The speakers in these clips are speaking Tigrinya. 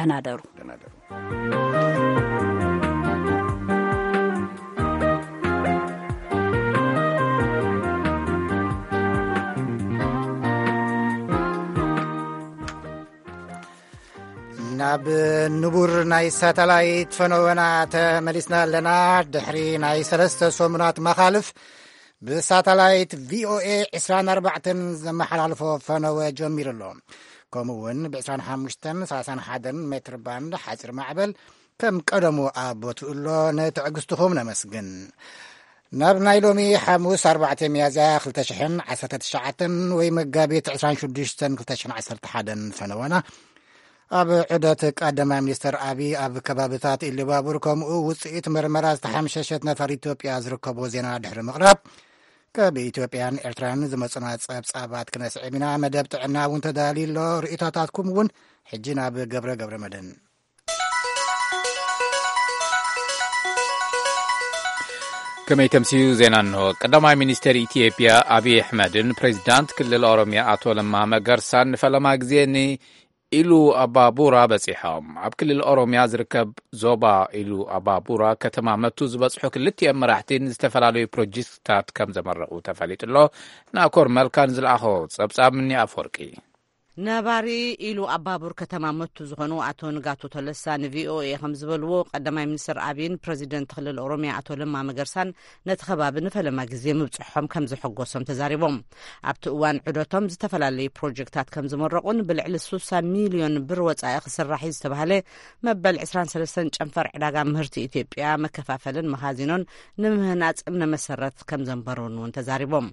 ደህና ደሩ። ደህና ደሩ። ናብ ንቡር ናይ ሳተላይት ፈነወና ተመሊስና ኣለና። ድሕሪ ናይ ሰለስተ ሰሙናት መኻልፍ ብሳተላይት ቪኦኤ ዕስራን ኣርባዕተን ዘመሓላልፎ ፈነወ ጀሚሩ ኣሎ። ከምኡ እውን ብ ዕስራን ሓሙሽተን ሰላሳን ሓደን ሜትር ባንድ ሓፂር ማዕበል ከም ቀደሙ ኣብ ቦትኡ ኣሎ። ንትዕግስትኹም ነመስግን። ናብ ናይ ሎሚ ሓሙስ ኣርባዕተ ሚያዝያ ክልተ ሽሕን ዓሰርተ ትሽዓተን ወይ መጋቢት ዕስራን ሽዱሽተን ክልተ ሽሕን ዓሰርተ ሓደን ፈነወና። ኣብ ዑደት ቀዳማይ ሚኒስተር ኣብይ ኣብ ከባብታት ኢሉባቡር ከምኡ ውፅኢት መርመራ ዝተሓምሸሸት ነፋር ኢትዮጵያ ዝርከቦ ዜና ድሕሪ ምቕራብ፣ ካብ ኢትዮጵያን ኤርትራን ዝመፁና ጸብጻባት ክነስዕብ ኢና። መደብ ጥዕና እውን ተዳልዩ ኣሎ። ርእይቶታትኩም እውን። ሕጂ ናብ ገብረ ገብረ መድህን። ከመይ ተምስዩ ዜና እንሆ። ቀዳማይ ሚኒስተር ኢትዮጵያ ኣብይ ኣሕመድን ፕሬዚዳንት ክልል ኦሮሚያ ኣቶ ለማ መገርሳን ንፈለማ ግዜ ንኢሉ ኣባቡራ በጺሖም። ኣብ ክልል ኦሮሚያ ዝርከብ ዞባ ኢሉ ኣባቡራ ከተማ መቱ ዝበጽሑ ክልቲኦም መራሕቲ ንዝተፈላለዩ ፕሮጀክትታት ከም ዘመረቑ ተፈሊጡ ኣሎ። ናኮር መልካን ዝለኣኾ ጸብጻብ ምኒ ኣፈወርቂ። ነባሪ ኢሉ ኣባቡር ከተማ መቱ ዝኾኑ ኣቶ ንጋቱ ተለሳ ንቪኦኤ ከም ዝበልዎ፣ ቀዳማይ ሚኒስትር ኣብይን ፕረዚደንት ክልል ኦሮሚያ ኣቶ ለማ መገርሳን ነቲ ከባቢ ንፈለማ ግዜ ምብጽሖም ከም ዘሐጎሶም ተዛሪቦም። ኣብቲ እዋን ዑደቶም ዝተፈላለዩ ፕሮጀክታት ከም ዝመረቑን ብልዕሊ ስሳ ሚልዮን ብር ወጻኢ ክስራሕ እዩ ዝተባህለ መበል ዕስራን ሰለስተን ጨንፈር ዕዳጋ ምህርቲ ኢትዮጵያ መከፋፈልን መኻዚኖን ንምህናጽ እምነ መሰረት ከም ዘንበሩን እውን ተዛሪቦም።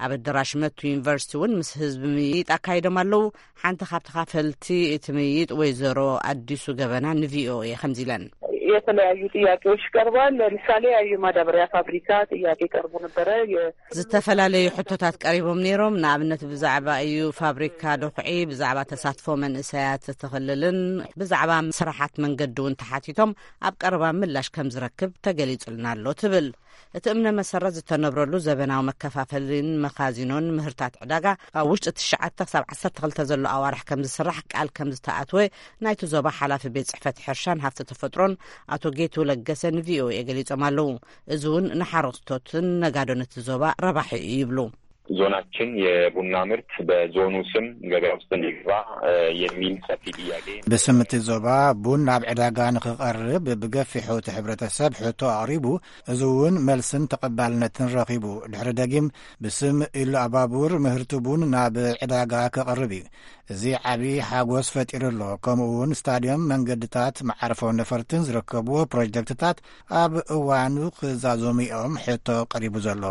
ኣብ ኣደራሽ መቱ ዩኒቨርሲቲ እውን ምስ ህዝቢ ምይይጥ ኣካይዶም ኣለዉ። ሓንቲ ካብ ተኻፈልቲ እቲ ምይይጥ ወይዘሮ ኣዲሱ ገበና ንቪኦኤ ከምዚ ኢለን። የተለያዩ ጥያቄዎች ቀርበዋል። ለምሳሌ የማዳበሪያ ፋብሪካ ጥያቄ ቀርቦ ነበረ። የ- ዝተፈላለዩ ሕቶታት ቀሪቦም ነይሮም። ንኣብነት ብዛዕባ እዩ ፋብሪካ ዶኽዒ፣ ብዛዕባ ተሳትፎ መንእሰያት እቲ ክልልን ብዛዕባ ስራሓት መንገዲ እውን ተሓቲቶም ኣብ ቀረባ ምላሽ ከም ዝረክብ ተገሊጹልና ኣሎ ትብል። እቲ እምነ መሰረት ዝተነብረሉ ዘበናዊ መከፋፈልን መኻዚኖን ምህርታት ዕዳጋ ኣብ ውሽጢ ትሽዓተ ክሳብ ዓሰርተ ክልተ ዘሎ ኣዋርሕ ከም ዝስራሕ ቃል ከም ዝተኣትወ ናይቲ ዞባ ሓላፊ ቤት ጽሕፈት ሕርሻን ሃፍቲ ተፈጥሮን ኣቶ ጌቱ ለገሰ ንቪኦኤ ገሊጾም ኣለዉ። እዚ እውን ንሓረስቶትን ነጋዶን እቲ ዞባ ረባሒ እዩ ይብሉ። ዞናችን የቡና ምርት በዞኑ ስም ገበያ ውስጥ እንዲገባ የሚል ሰፊ ጥያቄ። ብስም እቲ ዞባ ቡን ናብ ዕዳጋ ንኽቐርብ ብገፊሑ እቲ ሕብረተሰብ ሕቶ ኣቕሪቡ። እዚ እውን መልስን ተቐባልነትን ረኺቡ። ድሕሪ ደጊም ብስም ኢሉ ኣባቡር ምህርቲ ቡን ናብ ዕዳጋ ክቐርብ እዩ። እዚ ዓቢ ሓጎስ ፈጢሩ ኣሎ። ከምኡ እውን ስታድዮም፣ መንገድታት፣ መዓርፎ ነፈርትን ዝርከብዎ ፕሮጀክትታት ኣብ እዋኑ ክዛዘሙ እዮም ሕቶ ቀሪቡ ዘሎ።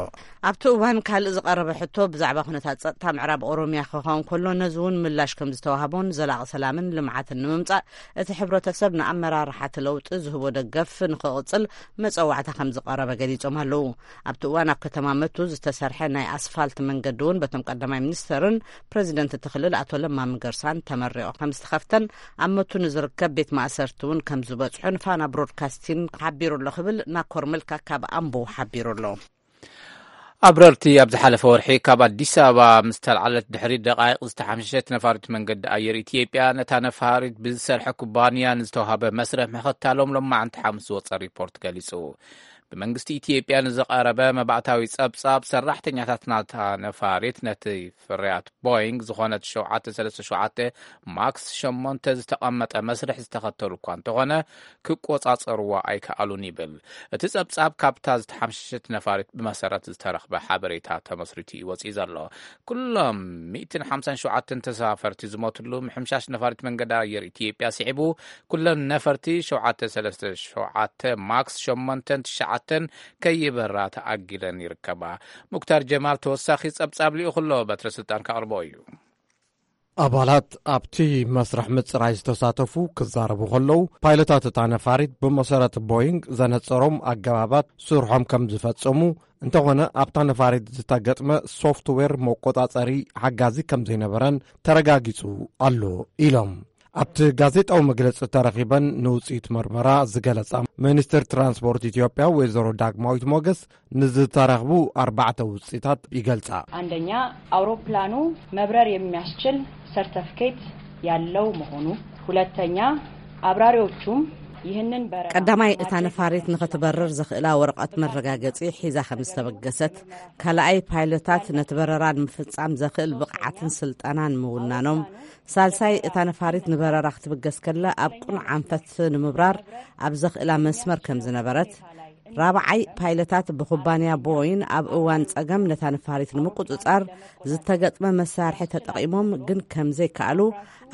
ኣብቲ እዋን ካልእ ዝቐረበ ሕቶ ብዛዕባ ኩነታት ጸጥታ ምዕራብ ኦሮሚያ ክኸውን ከሎ፣ ነዚ እውን ምላሽ ከም ዝተዋህቦን ዘላቒ ሰላምን ልምዓትን ንምምጻእ እቲ ሕብረተሰብ ንኣመራርሓ እቲ ለውጢ ዝህቦ ደገፍ ንኽቕጽል መጸዋዕታ ከም ዝቐረበ ገሊጾም ኣለዉ። ኣብቲ እዋን ኣብ ከተማ መቱ ዝተሰርሐ ናይ ኣስፋልት መንገዲ እውን በቶም ቀዳማይ ሚኒስተርን ፕረዚደንት እቲ ክልል ኣቶ ለማ መገርሳን ተመሪቑ ከም ዝተኸፍተን ኣብ መቱ ንዝርከብ ቤት ማእሰርቲ እውን ከም ዝበጽሑን ፋና ብሮድካስቲንግ ሓቢሩ ኣሎ ክብል ናኮር መልካ ካብ ኣምቦ ሓቢሩ ኣሎ። ኣብረርቲ ኣብ ዝሓለፈ ወርሒ ካብ ኣዲስ ኣበባ ምስ ተልዓለት ድሕሪ ደቓይቕ ዝተሓምሸሸት ነፋሪት መንገዲ ኣየር ኢትዮጵያ ነታ ነፋሪት ብዝሰርሐ ኩባንያ ንዝተዋሃበ መስርሕ ምኽታሎም ሎማዕንቲ ሓሙስ ዝወጸ ሪፖርት ገሊጹ። ብመንግስቲ ኢትዮጵያ ንዝቐረበ መባእታዊ ጸብጻብ፣ ሰራሕተኛታት ናታ ነፋሪት ነቲ ፍርያት ቦይንግ ዝኾነት ሸውዓተ ሰለስተ ሸውዓተ ማክስ ሸሞንተ ዝተቐመጠ መስርሕ ዝተኸተሉ እኳ እንተኾነ፣ ክቆጻጸርዋ ኣይከኣሉን ይብል። እቲ ጸብጻብ ካብታ ዝተሓምሸሸት ነፋሪት ብመሰረት ዝተረኽበ ሓበሬታ ተመስሪቱ እዩ ወጺኡ ዘሎ። ኩሎም ሚእትን ሓምሳን ሸውዓተን ተሳፈርቲ ዝሞትሉ ምሕምሻሽ ነፋሪት መንገዲ ኣየር ኢትዮጵያ ስዒቡ፣ ኩለን ነፈርቲ ሸውዓተ ሰለስተ ሸውዓተ ማክስ ሸሞንተን ትሽዓተን ከይበራ ተኣጊደን ይርከባ። ሙክታር ጀማል ተወሳኺ ጸብጻብ ልኢኹ ኣሎ፣ በትረ ስልጣን ከቕርቦ እዩ። ኣባላት ኣብቲ መስርሕ ምጽራይ ዝተሳተፉ ክዛረቡ ከለዉ፣ ፓይለታት እታ ነፋሪት ብመሰረት ቦይንግ ዘነጸሮም ኣገባባት ስርሖም ከም ዝፈጸሙ፣ እንተኾነ ኣብታ ነፋሪት ዝተገጥመ ሶፍትዌር መቆጻጸሪ ሓጋዚ ከም ዘይነበረን ተረጋጊጹ ኣሎ ኢሎም። ኣብቲ ጋዜጣዊ መግለጺ ተረኺበን ንውጽኢት መርመራ ዝገለጻ ሚኒስትር ትራንስፖርት ኢትዮጵያ ወይዘሮ ዳግማዊት ሞገስ፣ ንዝተረኽቡ ኣርባዕተ ውጽኢታት ይገልጻ። አንደኛ፣ አውሮፕላኑ መብረር የሚያስችል ሰርተፍኬት ያለው መሆኑ። ሁለተኛ፣ አብራሪዎቹም ይህንን በረራ ቀዳማይ፣ እታ ነፋሪት ንኽትበርር ዘኽእላ ወረቐት መረጋገጺ ሒዛ ከም ዝተበገሰት፣ ካልኣይ፣ ፓይለታት ነቲ በረራ ንምፍጻም ዘኽእል ብቕዓትን ስልጠናን ምውናኖም፣ ሳልሳይ፣ እታ ነፋሪት ንበረራ ክትብገስ ከላ ኣብ ቅኑዕ ኣንፈት ንምብራር ኣብ ዘኽእላ መስመር ከም ዝነበረት፣ ራብዓይ፣ ፓይለታት ብኩባንያ ቦይን ኣብ እዋን ጸገም ነታ ነፋሪት ንምቁጽጻር ዝተገጥመ መሳርሒ ተጠቒሞም ግን ከም ዘይከኣሉ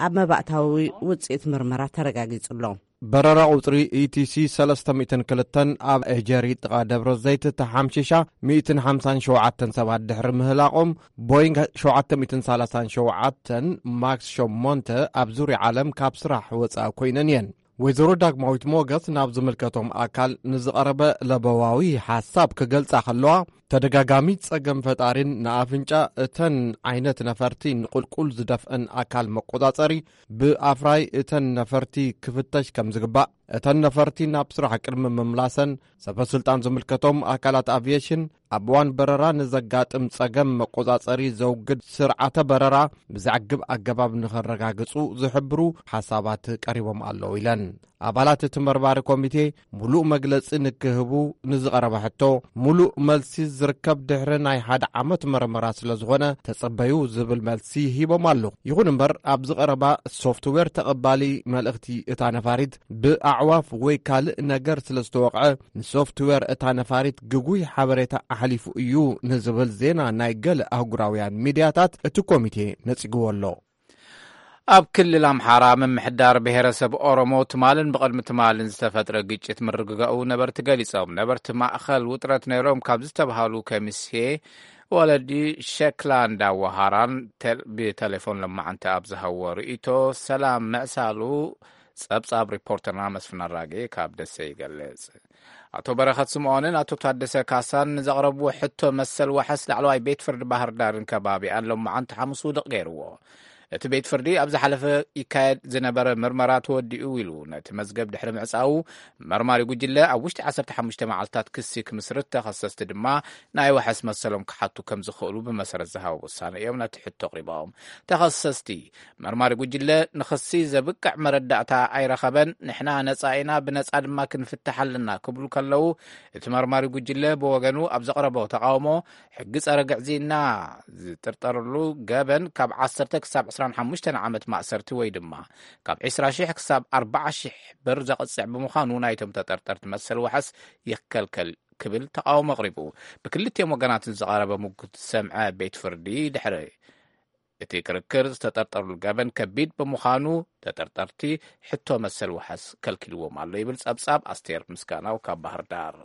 ኣብ መባእታዊ ውጽኢት ምርመራ ተረጋጊጹ ኣሎ። በረራ ቁጽሪ ኢቲሲ ሰለስተ ሚእትን ክልተን ኣብ ኤጀሪ ጥቓ ደብረ ዘይት ተሓምሺሻ ሚእትን ሓምሳን ሸውዓተን ሰባት ድሕሪ ምህላቖም፣ ቦይንግ ሸውዓተ ሚእትን ሰላሳን ሸውዓተን ማክስ ሸሞንተ ኣብ ዙርያ ዓለም ካብ ስራሕ ወጻኢ ኮይነን እየን። ወይዘሮ ዳግማዊት ሞገስ ናብ ዝምልከቶም ኣካል ንዝቐረበ ለበዋዊ ሓሳብ ክገልጻ ከለዋ፣ ተደጋጋሚ ጸገም ፈጣሪን ንኣፍንጫ እተን ዓይነት ነፈርቲ ንቁልቁል ዝደፍእን ኣካል መቆጻጸሪ ብኣፍራይ እተን ነፈርቲ ክፍተሽ ከም ዝግባእ፣ እተን ነፈርቲ ናብ ስራሕ ቅድሚ ምምላሰን ሰበ ስልጣን ዝምልከቶም ኣካላት ኣቪየሽን ኣብ እዋን በረራ ንዘጋጥም ጸገም መቆጻጸሪ ዘውግድ ስርዓተ በረራ ብዘዕግብ ኣገባብ ንኸረጋግጹ ዝሕብሩ ሓሳባት ቀሪቦም ኣለዉ ኢለን። ኣባላት እቲ መርማሪ ኮሚቴ ሙሉእ መግለጺ ንክህቡ ንዝቐረበ ሕቶ፣ ሙሉእ መልሲ ዝርከብ ድሕሪ ናይ ሓደ ዓመት መርመራ ስለ ዝኾነ ተጸበዩ ዝብል መልሲ ሂቦም ኣለዉ። ይኹን እምበር፣ ኣብ ዝቐረባ ሶፍትዌር ተቐባሊ መልእኽቲ እታ ነፋሪት ብኣዕዋፍ ወይ ካልእ ነገር ስለ ዝተወቕዐ፣ ንሶፍትዌር እታ ነፋሪት ግጉይ ሓበሬታ ኣሕሊፉ እዩ ንዝብል ዜና ናይ ገለ ኣህጉራውያን ሚድያታት እቲ ኮሚቴ ነጺግዎ ኣሎ። ኣብ ክልል ኣምሓራ ምምሕዳር ብሄረሰብ ኦሮሞ ትማልን ብቕድሚ ትማልን ዝተፈጥረ ግጭት ምርግጋኡ ነበርቲ ገሊጾም። ነበርቲ ማእኸል ውጥረት ነይሮም ካብ ዝተባሃሉ ከሚሴ፣ ወለዲ፣ ሸክላ እንዳወሃራን ቴል-፣ ብቴሌፎን ሎማዓንቲ ኣብ ዝሃዎ ርእይቶ ሰላም ምዕሳሉ ጸብጻብ ሪፖርተርና መስፍን ኣራጌ ካብ ደሴ ይገልጽ። ኣቶ በረኸት ስምኦንን ኣቶ ታደሰ ካሳን ንዘቕረብዎ ሕቶ መሰል ዋሕስ ላዕለዋይ ቤት ፍርዲ ባህር ዳርን ከባቢኣን ሎማዓንቲ ሓሙስ ውድቕ ገይርዎ። እቲ ቤት ፍርዲ ኣብ ዝሓለፈ ይካየድ ዝነበረ ምርመራ ተወዲኡ ኢሉ ነቲ መዝገብ ድሕሪ ምዕጻዉ፣ መርማሪ ጉጅለ ኣብ ውሽጢ ዓሰርተ ሓሙሽተ መዓልታት ክሲ ክምስርት፣ ተኸሰስቲ ድማ ናይ ዋሕስ መሰሎም ክሓቱ ከም ዝኽእሉ ብመሰረት ዝሃቦ ውሳነ እዮም ነቲ ሕቶ ኣቕሪቦም። ተኸሰስቲ፣ መርማሪ ጉጅለ ንኽሲ ዘብቅዕ መረዳእታ ኣይረኸበን፣ ንሕና ነጻ ኢና፣ ብነጻ ድማ ክንፍትሕ ኣለና ክብሉ ከለዉ፣ እቲ መርማሪ ጉጅለ ብወገኑ ኣብ ዘቕረቦ ተቓውሞ፣ ሕጊ ጸረ ግዕዝይና ዝጥርጠርሉ ገበን ካብ ዓሰርተ ክሳብ ዕስራን ሓሙሽተን ዓመት ማእሰርቲ ወይ ድማ ካብ ዕስራ ሺሕ ክሳብ ኣርብዓ ሺሕ ብር ዘቕጽዕ ብምዃኑ፣ ናይቶም ተጠርጠርቲ መሰል ዋሕስ ይከልከል ክብል ተቓውሞ ኣቕሪቡ። ብክልቲኦም ወገናትን ዝቐረበ ምጉት ዝሰምዐ ቤት ፍርዲ፣ ድሕሪ እቲ ክርክር ዝተጠርጠርሉ ገበን ከቢድ ብምዃኑ፣ ተጠርጠርቲ ሕቶ መሰል ዋሕስ ከልኪልዎም ኣሎ ይብል ጸብጻብ ኣስቴር ምስጋናው ካብ ባህር ዳር።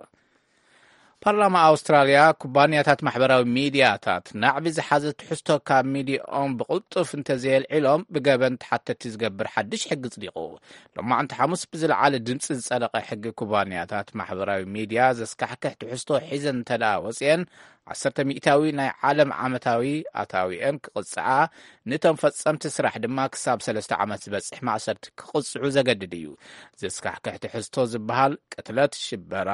ፓርላማ ኣውስትራልያ፣ ኩባንያታት ማሕበራዊ ሚድያታት ናዕቢ ዝሓዘ ትሕዝቶ ካብ ሚድያኦም ብቕልጡፍ እንተዘየልዒሎም ብገበን ተሓተቲ ዝገብር ሓድሽ ሕጊ ጽዲቑ። ሎማዕንቲ ሓሙስ ብዝለዓለ ድምጺ ዝጸደቐ ሕጊ፣ ኩባንያታት ማሕበራዊ ሚድያ ዘስካሕክሕ ትሕዝቶ ሒዘን እንተደኣ ወጺአን፣ ዓሰርተ ሚእታዊ ናይ ዓለም ዓመታዊ ኣታዊአን ክቕጽዓ፣ ነቶም ፈጸምቲ ስራሕ ድማ ክሳብ ሰለስተ ዓመት ዝበጽሕ ማእሰርቲ ክቕጽዑ ዘገድድ እዩ። ዘስካሕክሕ ትሕዝቶ ዝበሃል ቅትለት፣ ሽበራ፣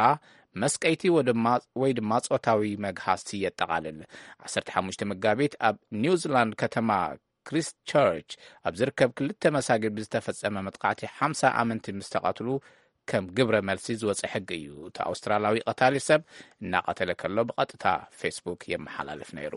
መስቀይቲ ወድማ-፣ ወይ ድማ ጾታዊ መግሃስቲ የጠቓልል። ዓሰርተ ሓሙሽተ መጋቢት ኣብ ኒውዚላንድ ከተማ ክሪስት ቸርች ኣብ ዝርከብ ክልተ መሳጊድ ብዝተፈጸመ መጥቃዕቲ ሓምሳ ኣመንቲ ምስ ተቐትሉ፣ ከም ግብረ መልሲ ዝወጸ ሕጊ እዩ። እቲ ኣውስትራላዊ ቀታሊ ሰብ እናቐተለ ከሎ ብቐጥታ ፌስቡክ የመሓላልፍ ነይሩ።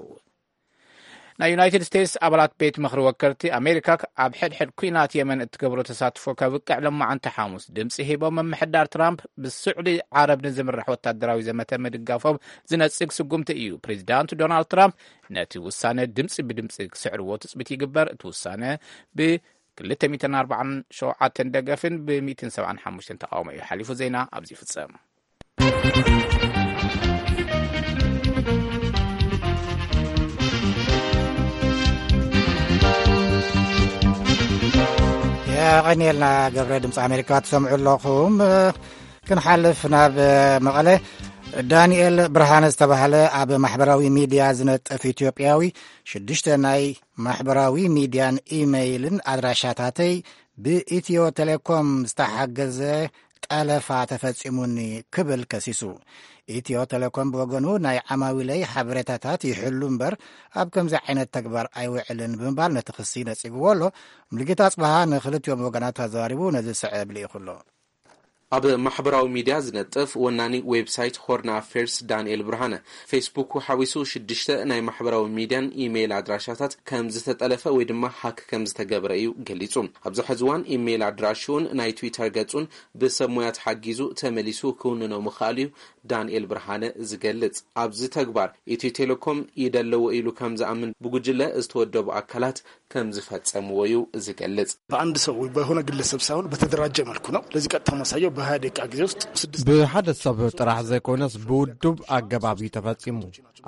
ናይ ዩናይትድ ስቴትስ ኣባላት ቤት ምኽሪ ወከልቲ፣ ኣሜሪካ ኣብ ሕድሕድ ኲናት የመን እትገብሮ ተሳትፎ ከብቅዕ ሎማዓንቲ ሓሙስ ድምፂ ሂቦም፣ ምምሕዳር ትራምፕ ብስዑዲ ዓረብ ንዝምራሕ ወታደራዊ ዘመተ ምድጋፎም ዝነጽግ ስጉምቲ እዩ። ፕሬዚዳንት ዶናልድ ትራምፕ ነቲ ውሳነ ድምፂ ብድምፂ ክስዕርዎ ትፅቢት ይግበር። እቲ ውሳነ ብ ክልተ ሚእትን ኣርባዓን ሸውዓተን ደገፍን ብ ሚእትን ሰብዓን ሓሙሽተን ተቓውሞ እዩ ሓሊፉ። ዜና ኣብዚ ይፍጸም። የቐንየልና ገብረ። ድምፂ ኣሜሪካ ትሰምዑ ኣለኹም። ክንሓልፍ ናብ መቐለ። ዳንኤል ብርሃነ ዝተባህለ ኣብ ማሕበራዊ ሚድያ ዝነጥፍ ኢትዮጵያዊ ሽዱሽተ ናይ ማሕበራዊ ሚድያን ኢመይልን ኣድራሻታተይ ብኢትዮ ቴሌኮም ዝተሓገዘ ጠለፋ ተፈጺሙኒ ክብል ከሲሱ። ኢትዮ ቴሌኮም ብወገኑ፣ ናይ ዓማዊለይ ሓበሬታታት ይሕሉ እምበር ኣብ ከምዚ ዓይነት ተግባር ኣይውዕልን ብምባል ነቲ ክሲ ነጺግዎ ኣሎ። ሙሉጌታ ኣጽብሃ ንክልቲኦም ወገናት ኣዘራሪቡ ነዚ ዝስዕብ ልኢኹ ኣሎ። ኣብ ማሕበራዊ ሚድያ ዝነጥፍ ወናኒ ዌብሳይት ሆርን ኣፌርስ ዳንኤል ብርሃነ፣ ፌስቡክ ሓዊሱ ሽዱሽተ ናይ ማሕበራዊ ሚድያን ኢሜይል ኣድራሻታት ከም ዝተጠለፈ ወይ ድማ ሃክ ከም ዝተገብረ እዩ ገሊጹ። ኣብዚ ሕዚ እዋን ኢሜይል ኣድራሽኡን ናይ ትዊተር ገጹን ብሰብ ሞያ ተሓጊዙ ተመሊሱ ክውንኖ ምኽኣሉ እዩ ዳንኤል ብርሃነ ዝገልጽ። ኣብዚ ተግባር ኢትዮ ቴሌኮም ይደለዎ ኢሉ ከም ዝኣምን ብጉጅለ ዝተወደቡ ኣካላት ከም ዝፈጸምዎ እዩ ዝገልጽ። በአንድ ሰው ወይ በሆነ ግለሰብ ሳይሆን በተደራጀ መልኩ ነው። ለዚህ ቀጥታ ማሳያው በሃያ ደቂቃ ጊዜ ውስጥ ስድስት ብሓደ ሰብ ጥራሕ ዘይኮነስ ብውዱብ ኣገባብ እዩ ተፈጺሙ።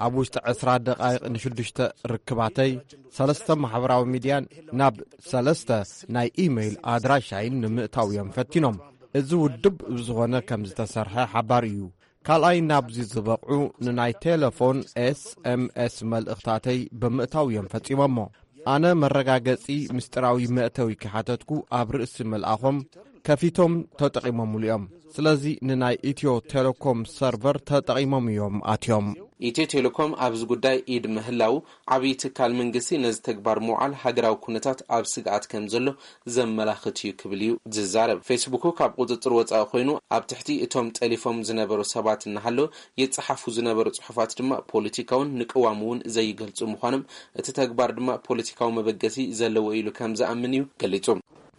ኣብ ውሽጢ ዕስራ ደቓይቕ ንሽዱሽተ ርክባተይ ሰለስተ ማሕበራዊ ሚድያን ናብ ሰለስተ ናይ ኢሜይል ኣድራሻይን ንምእታው እዮም ፈቲኖም። እዚ ውዱብ ብዝኾነ ከም ዝተሰርሐ ሓባር እዩ። ካልኣይ ናብዚ ዝበቕዑ ንናይ ቴሌፎን ኤስ ኤም ኤስ መልእኽታተይ ብምእታው እዮም ፈጺሞሞ። ኣነ መረጋገጺ ምስጢራዊ መእተዊ ክሓተትኩ ኣብ ርእሲ ምልኣኾም ከፊቶም ተጠቒሞምሉ እዮም። ስለዚ ንናይ ኢትዮ ቴሌኮም ሰርቨር ተጠቒሞም እዮም ኣትዮም። ኢትዮ ቴሌኮም ኣብዚ ጉዳይ ኢድ ምህላው ዓብዪ ትካል መንግስቲ ነዚ ተግባር ምውዓል ሃገራዊ ኩነታት ኣብ ስግኣት ከም ዘሎ ዘመላኽት እዩ ክብል እዩ ዝዛረብ። ፌስቡክ ካብ ቁጽጽር ወጻኢ ኮይኑ ኣብ ትሕቲ እቶም ጠሊፎም ዝነበሩ ሰባት እናሃለወ ይጸሓፉ ዝነበሩ ጽሑፋት ድማ ፖለቲካውን ንቅዋም እውን ዘይገልጹ ምዃኖም እቲ ተግባር ድማ ፖለቲካዊ መበገሲ ዘለዎ ኢሉ ከም ዝኣምን እዩ ገሊጹ።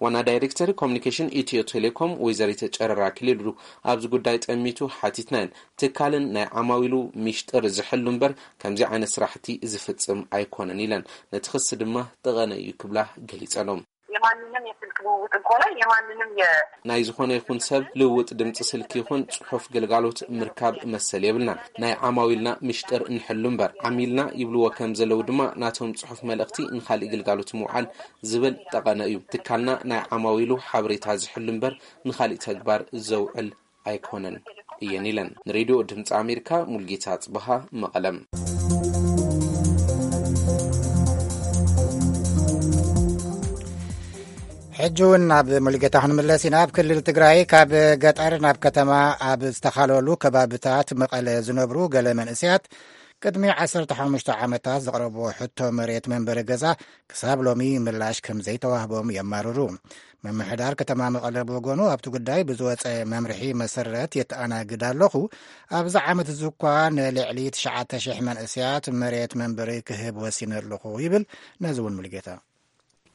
ዋና ዳይሬክተር ኮሚኒኬሽን ኢትዮ ቴሌኮም ወይዘሪት ጨረራ ክሊሉ ኣብዚ ጉዳይ ጠሚቱ ሓቲትናየን። ትካልን ናይ ዓማዊሉ ሚሽጥር ዝሕሉ እምበር ከምዚ ዓይነት ስራሕቲ ዝፍጽም ኣይኮነን ኢለን። ነቲ ክሲ ድማ ጠቐነ እዩ ክብላ ገሊጸሎም። የማንንም የስልክ ልውውጥ እንኮላይ የማንንም የ ናይ ዝኾነ ይኹን ሰብ ልውውጥ ድምፂ ስልኪ ይኹን ጽሑፍ ግልጋሎት ምርካብ መሰል የብልናን። ናይ ዓማዊልና ሚሽጥር ንሕሉ እምበር ዓሚልና ይብልዎ ከም ዘለዉ ድማ ናቶም ጽሑፍ መልእኽቲ ንኻሊእ ግልጋሎት ምውዓል ዝብል ጠቐነ እዩ። ትካልና ናይ ዓማዊሉ ሓበሬታ ዝሕሉ እምበር ንኻሊእ ተግባር ዘውዕል ኣይኮነን እየን ኢለን። ንሬድዮ ድምፂ ኣሜሪካ ሙልጌታ ጽበሃ መቐለም። ሕጂ እውን ናብ ሙልጌታ ክንምለስ ኢና። ኣብ ክልል ትግራይ ካብ ገጠር ናብ ከተማ ኣብ ዝተኻለሉ ከባብታት መቐለ ዝነብሩ ገለ መንእሰያት ቅድሚ ዓሰርተ ሓሙሽተ ዓመታት ዘቕረብዎ ሕቶ መሬት መንበሪ ገዛ ክሳብ ሎሚ ምላሽ ከም ዘይተዋህቦም የማርሩ። ምምሕዳር ከተማ መቐለ ብወገኑ ኣብቲ ጉዳይ ብዝወፀ መምርሒ መሰረት የተኣናግድ ኣለኹ። ኣብዚ ዓመት እዚ እኳ ንልዕሊ ትሽዓተ ሽሕ መንእሰያት መሬት መንበሪ ክህብ ወሲነ ኣለኹ ይብል። ነዚ እውን ሙልጌታ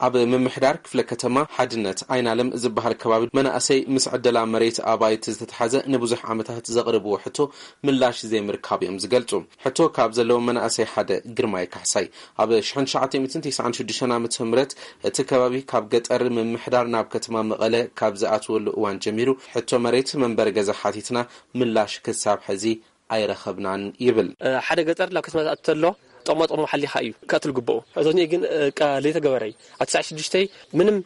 ኣብ ምምሕዳር ክፍለ ከተማ ሓድነት ኣይናለም ዝበሃል ከባቢ መናእሰይ ምስ ዕደላ መሬት ኣባይቲ ዝተተሓዘ ንብዙሕ ዓመታት ዘቕርብዎ ሕቶ ምላሽ ዘይምርካብ እዮም ዝገልጹ። ሕቶ ካብ ዘለዎም መናእሰይ ሓደ ግርማይ ካሕሳይ ኣብ ሽሕን ትሽዓተ ሚእትን ተስዓን ሽዱሽተን ዓመተ ምህረት እቲ ከባቢ ካብ ገጠር ምምሕዳር ናብ ከተማ መቐለ ካብ ዝኣትወሉ እዋን ጀሚሩ ሕቶ መሬት መንበሪ ገዛ ሓቲትና ምላሽ ክሳብ ሕዚ ኣይረኸብናን ይብል። ሓደ ገጠር ናብ ከተማ ዝኣቱ ተሎ ጥቕማ ጥቕሙ ሓሊኻ እዩ ክኣቱ ዝግብኦ። እዞኒ ግን ለይተገበረ እዩ። ኣብ ትስዓን ሽዱሽተን ምንም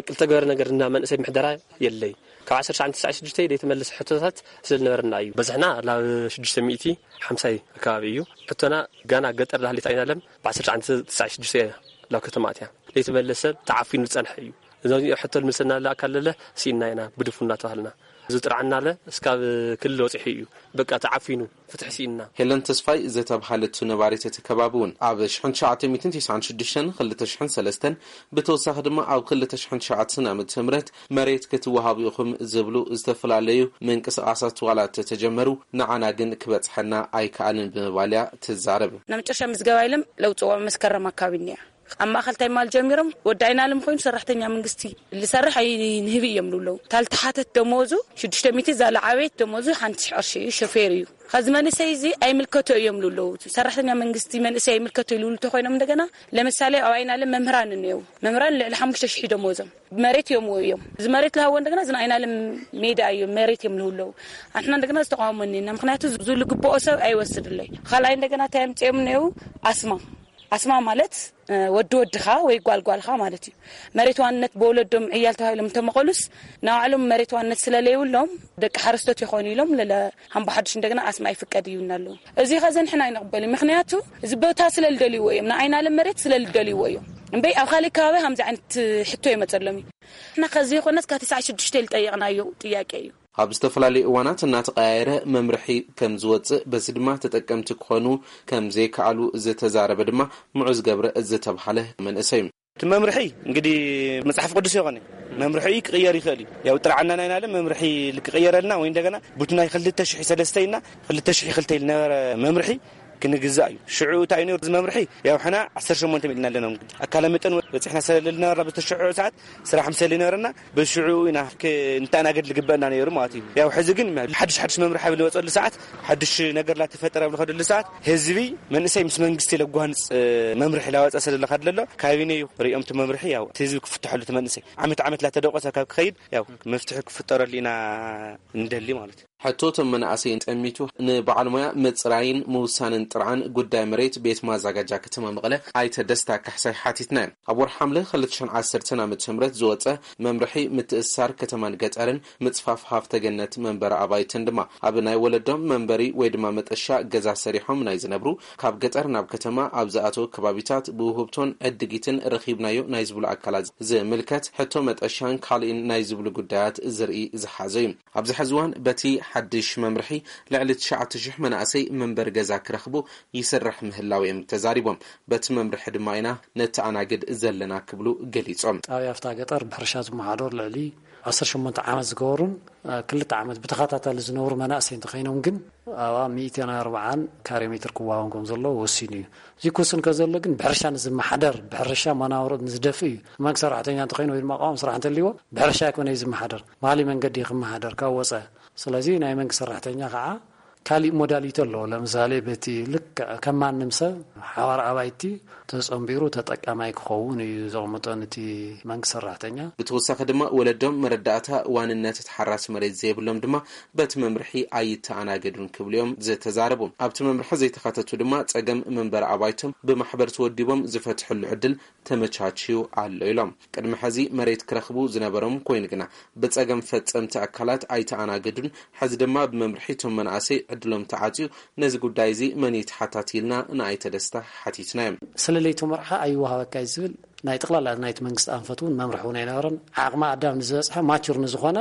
ዝተገበረ ነገር እና መንእሰይ ምሕደራ የለይ። ካብ ዓሰርተ ትሽዓን ትስዓን ሽዱሽተን ዘይተመለሰ ሕቶታት ስለ ዝነበረና እዩ። በዝሕና ናብ ሽዱሽተ ሚእቲ ሓምሳ ኣካባቢ እዩ። ሕቶና ጋና ገጠር ዳህሊት ኣይናለም ብ ዓሰርተ ትሽዓን ትስዓን ሽዱሽተን እያ ናብ ከተማ ኣትያ። ዘይተመለሰ ተዓፊኑ ዝጸንሐ እዩ። እዚ ሕቶ ልምልሰና ኣካል ለለ ስኢና ኢና ብድፉን እናተባህልና ዝጥርዓና ኣለ እስካብ ክልል ወጺሑ እዩ። በቃ ተዓፊኑ ፍትሒ ስኢና። ሄለን ተስፋይ ዝተብሃለት ነባሪት እቲ ከባቢ እውን ኣብ ሽሕን ትሽዓተ ሚእትን ተስዓን ሽዱሽተን ክልተ ሽሕን ሰለስተን ብተወሳኺ ድማ ኣብ ክልተ ሽሕን ትሽዓተን ዓመተ ምህረት መሬት ክትወሃቡ ኢኹም ዝብሉ ዝተፈላለዩ ምንቅስቓሳት ዋላ ተተጀመሩ ንዓና ግን ክበጽሐና ኣይከኣልን ብምባል እያ ትዛረብ። ናብ መጨረሻ ምዝገባ ኢሎም ለውፅዎ መስከረም ኣካባቢ እኒኣ ኣብ ማእኸል ታይማል ጀሚሮም ወዲ ኣይናለም ኮይኑ ሰራሕተኛ መንግስቲ ልሰርሕ ኣይንህብ እዮም ልብለው። ታልተሓተት ደመወዙ ሽዱሽተ ሚእቲ ዛለ ዓበየት ደመወዙ ሓንቲ ሽሕ ቅርሺ እዩ። ሾፌር እዩ። ከዚ መንእሰይ እዚ ኣይምልከቶ እዮም ልብለው። ሰራሕተኛ መንግስቲ መንእሰይ ኣይምልከቶ ይልብሉ እንተኮይኖም እንደገና ለምሳሌ ኣብ ኣይናለም መምህራን እኒአው። መምህራን ልዕሊ ሓሙሽተ ሽሕ ደመወዞም መሬት እዮም እዮም። እዚ መሬት ልሃቦ እንደገና እዚ ኣይናለም ሜዳ እዮም መሬት እዮም ልብለው። ኣንሕና እንደገና ዝተቃወሞ እኒና ምክንያቱ ዝሉ ግብኦ ሰብ ኣይወስድለይ። ካልኣይ እንደገና እንታይ ኣምፅኦም እኒአው ኣስማ ኣስማ ማለት ወዲ ወድኻ ወይ ጓል ጓልኻ ማለት እዩ። መሬት ዋንነት ብወለዶም ዕያል ተባሂሎም እንተመቐሉስ ንባዕሎም መሬት ዋንነት ስለለይብሎም ደቂ ሓረስቶት ይኾኑ ኢሎም ለለ ሃምቦ ሓዱሽ እንደገና ኣስማ ይፍቀድ ይብልና ኣለዉ። እዚ ኸዚ ንሕና ኣይንቕበል እዩ። ምኽንያቱ እዚ ቦታ ስለልደልይዎ እዮም። ንኣይናለም መሬት ስለልደልይዎ እዮም። እምበይ ኣብ ካልእ ከባቢ ከምዚ ዓይነት ሕቶ ይመፀሎም እዩ። ንሕና ከዚ ይኾነስ ካብ ትስዓን ሽዱሽተ ልጠየቕናዮ ጥያቄ እዩ። ኣብ ዝተፈላለዩ እዋናት እናተቐያየረ መምርሒ ከም ዝወፅእ፣ በዚ ድማ ተጠቀምቲ ክኾኑ ከም ዘይከኣሉ ዝተዛረበ ድማ ምዑዝ ገብረ ዝተብሃለ መንእሰይ እዩ። እቲ መምርሒ እንግዲህ መጽሓፍ ቅዱስ ይኾነ መምርሒ ክቕየር ይኽእል እዩ። ያው ጥርዓና ናይ ናለ መምርሒ ክቕየረልና ወይ እንደገና ቡቲ ናይ ክልተ ሽሕ ሰለስተ ኢልና ክልተ ሽሕ ክልተ ኢል ነበረ መምርሒ ክንግዛእ እዩ። ሽዑ እንታይ እዩ ነይሩ እዚ መምርሒ? ያው ሕና ዓሰርተ ሸሞንተ ሚእልና ኣለና። እንግዲህ ኣካለ መጠን በጺሕና ስለለና በተሽዑ ሰዓት ስራሕ ምሰሊ ነበረና፣ በሽዑ ኢና ክ-፣ እንተኣናገድ ልግበአና ነይሩ ማለት እዩ። ያው ሕዚ ግን ሓድሽ ሓድሽ መምርሒ ኣብ ልወፀሉ ሰዓት፣ ሓድሽ ነገር ላተፈጠረ ኣብ ልኸደሉ ሰዓት፣ ህዝቢ መንእሰይ ምስ መንግስቲ ለጓንፅ መምርሒ ላወፀ ስለለካ ድለሎ፣ ካቢነ እዩ ሪኦም እቲ መምርሒ ያው እቲ ህዝቢ ክፍትሐሉ እቲ መንእሰይ ዓመት ዓመት ላተደቆሰ ካብ ክኸይድ ያው መፍትሒ ክፍጠረሉ ኢና እንደሊ ማለት እዩ። ሕቶ እቶም መናእሰይን ጠሚቱ ንበዓል ሞያ ምፅራይን ምውሳንን ጥርዓን ጉዳይ መሬት ቤት ማዛጋጃ ከተማ መቐለ ኣይተ ደስታ ካሕሳይ ሓቲትና እዮም። ኣብ ወርሒ ሓምለ ክልተ ሽሕን ዓሰርተን ዓመተ ምህረት ዝወፀ መምርሒ ምትእስሳር ከተማን ገጠርን ምፅፋፍ ሃፍተ ገነት መንበሪ ኣባይትን ድማ ኣብ ናይ ወለዶም መንበሪ ወይ ድማ መጠሻ ገዛ ሰሪሖም ናይ ዝነብሩ ካብ ገጠር ናብ ከተማ ኣብ ዝኣተው ከባቢታት ብውህብቶን ዕድጊትን ረኺብናዮ ናይ ዝብሉ ኣካላት ዝምልከት ሕቶ መጠሻን ካልእን ናይ ዝብሉ ጉዳያት ዝርኢ ዝሓዘ እዩ። ኣብዚ ሕዚ እዋን በቲ ሓድሽ መምርሒ ልዕሊ ትሽዓተ ሽሕ መናእሰይ መንበሪ ገዛ ክረኽቡ ይስራሕ ምህላው እዮም ተዛሪቦም። በቲ መምርሒ ድማ ኢና ነተኣናግድ ዘለና ክብሉ ገሊጾም። ጣብያ ፍታ ገጠር ብሕርሻ ዝመሓደሩ ልዕሊ ዓሰርተ ሸሞንተ ዓመት ዝገበሩን እ፣ ክልተ ዓመት ብተኸታታሊ ዝነብሩ መናእሰይ እንተኸይኖም ግን ኣብኣ ሚእትን ኣርባዓን ካሬ ሜትር ክዋሃቦም ከም ዘለዎ ወሲኑ እዩ። እዚ ክውስን ከዘሎ ግን ብሕርሻ ንዝመሓደር፣ ብሕርሻ መናብሮ ንዝደፍእ እዩ። መንግስቲ ሰራሕተኛ እንተኾይኑ ወይ ድማ ኣቋም ስራሕ እንተልይዎ ብሕርሻ ኣይኮነ እዩ ዝመሓደር፣ ባህሊ መንገዲ እዩ ክመሓደር ካብ ወፀ። ስለዚ ናይ መንግስቲ ሰራሕተኛ ከዓ ካሊእ ሞዳሊቲ ኣለዎ። ለምሳሌ በቲ ልክዕ ከም ማንም ሰብ ሓዋር ኣባይቲ ተጸንቢሩ ተጠቃማይ ክኸውን እዩ ዘቕምጦ ነቲ መንግስቲ ሰራሕተኛ። ብተወሳኺ ድማ ወለዶም መረዳእታ ዋንነት ተሓራሲ መሬት ዘይብሎም ድማ በቲ መምርሒ ኣይተኣናገዱን ክብሉ እዮም ዝተዛረቡ። ኣብቲ መምርሒ ዘይተኻተቱ ድማ ጸገም መንበሪ ኣባይቶም ብማሕበር ተወዲቦም ዝፈትሕሉ ዕድል ተመቻችዩ ኣሎ ኢሎም። ቅድሚ ሕዚ መሬት ክረኽቡ ዝነበሮም ኮይኑ ግና ብጸገም ፈጸምቲ ኣካላት ኣይተኣናገዱን። ሕዚ ድማ ብመምርሒ እቶም መናእሰይ ዕድሎም ተዓጽዩ። ነዚ ጉዳይ እዚ መን እዩ ተሓታቲ ኢልና ንኣይተ ደስታ ሓቲትናዮም። ስለ ለይቲ መርዓ ኣይወሃበካ እዩ ዝብል ናይ ጠቕላላ ናይቲ መንግስቲ ኣንፈት እውን መምርሒ እውን ኣይነበረን። ዓቕሚ ኣዳም ንዝበጽሐ ማቹር ንዝኾነ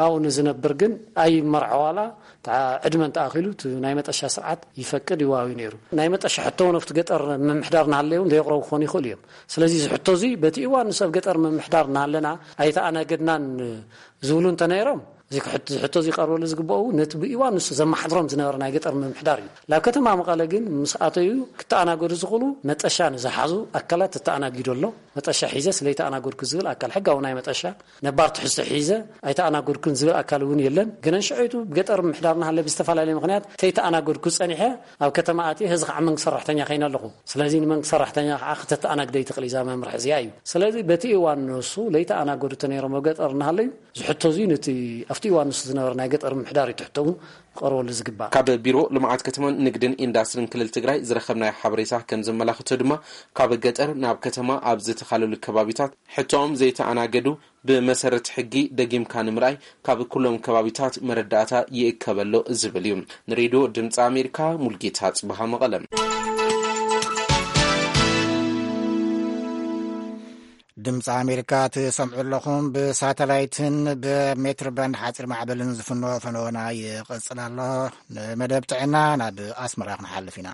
ኣብኡ ንዝነብር ግን ኣይመርዖ ዋላ ተዓ-፣ ዕድመ እንተኣኺሉ እቲ ናይ መጠሻ ስርዓት ይፈቅድ ይዋዊ ነይሩ። ናይ መጠሻ ሕቶ እውን ኣብቲ ገጠር ምምሕዳር እናሃለየ እውን ዘየቕረቡ ክኾኑ ይኽእሉ እዮም። ስለዚ እዚ ሕቶ እዚ በቲ እዋን ንሱ ኣብ ገጠር ምምሕዳር እናሃለና ኣይተኣናገድናን ዝብሉ እንተነይሮም፣ እዚ ክሕት-፣ እዚ ሕቶ እዚ ይቐርበሉ ዝግበኦ እውን ነቲ ብእዋን ንሱ ዘመሓድሮም ዝነበረ ናይ ገጠር ምምሕዳር እዩ። ላብ ከተማ መቐለ ግን ምስ ኣተዩ ክተኣናገዱ ዝኽእሉ መጠሻ ንዝሓዙ ኣካላት ተተኣናጊዱ ኣሎ። መጠሻ ሒዘ ስለይተኣናገድኩ ዝብል ኣካል ሕጋዊ ናይ መጠሻ ነባር ትሕዝቶ ሒዘ ኣይተኣናገድኩን ዝብል ኣካል እውን የለን። ግን ንሽዑ ብገጠር ምምሕዳር እናሃለ ብዝተፈላለየ ምኽንያት ተይተኣናገድኩ ጸኒሐ ኣብ ከተማ ኣትየ፣ ሕዚ ከዓ መንግስቲ ሰራሕተኛ ከይነ ኣለኹ። ስለዚ ንመንግስቲ ሰራሕተኛ ከዓ ክተተኣናግደ ይትኽእል እዛ መምርሒ እዚኣ እዩ። ስለዚ በቲ እዋን ንሱ ለይተኣናገዱ ተነይሮም ኣብ ገጠር እናሃለዩ፣ እዚ ሕቶ እዚ ነቲ ኣብቲ እዋን ንሱ ዝነበረ ናይ ገጠር ምምሕዳር እዩ ትሕቶ እውን ክቐርበሉ ዝግባእ። ካብ ቢሮ ልምዓት ከተማን ንግድን ኢንዳስትሪን ክልል ትግራይ ዝረኸብናዮ ሓበሬታ ከም ዘመላኽቶ ድማ፣ ካብ ገጠር ናብ ከተማ ኣብ ዝተኻለሉ ከባቢታት ሕቶኦም ዘይተኣናገዱ ብመሰረት ሕጊ ደጊምካ ንምርኣይ ካብ ኩሎም ከባቢታት መረዳእታ ይእከበሎ ዝብል እዩ። ንሬድዮ ድምፂ ኣሜሪካ ሙልጌታ ጽብሃ መቐለ። ድምፂ ኣሜሪካ ትሰምዑ ኣለኹም። ብሳተላይትን ብሜትር ባንድ ሓፂር ማዕበልን ዝፍኖ ፈነወና ይቕፅል ኣሎ። ንመደብ ጥዕና ናብ ኣስመራ ክንሓልፍ ኢና።